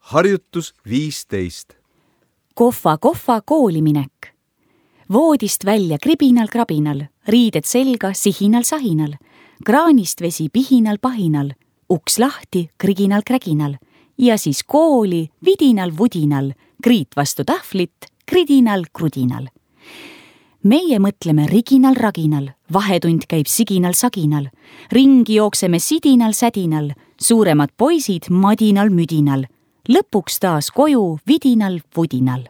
Harjutus 15. Kohva kooliminek. Voodist välja kribinal-krabinal, riided selga sihinal-sahinal, kraanist vesi pihinal-pahinal, uks lahti kriginal-kräginal ja siis kooli vidinal-vudinal, kriit vastu tahvlit kridinal-krudinal. Meie mõtleme riginal-raginal, vahetund käib siginal-saginal, ringi jookseme sidinal-sädinal, suuremad poisid madinal-müdinal, lõpuks taas koju vidinal-vudinal.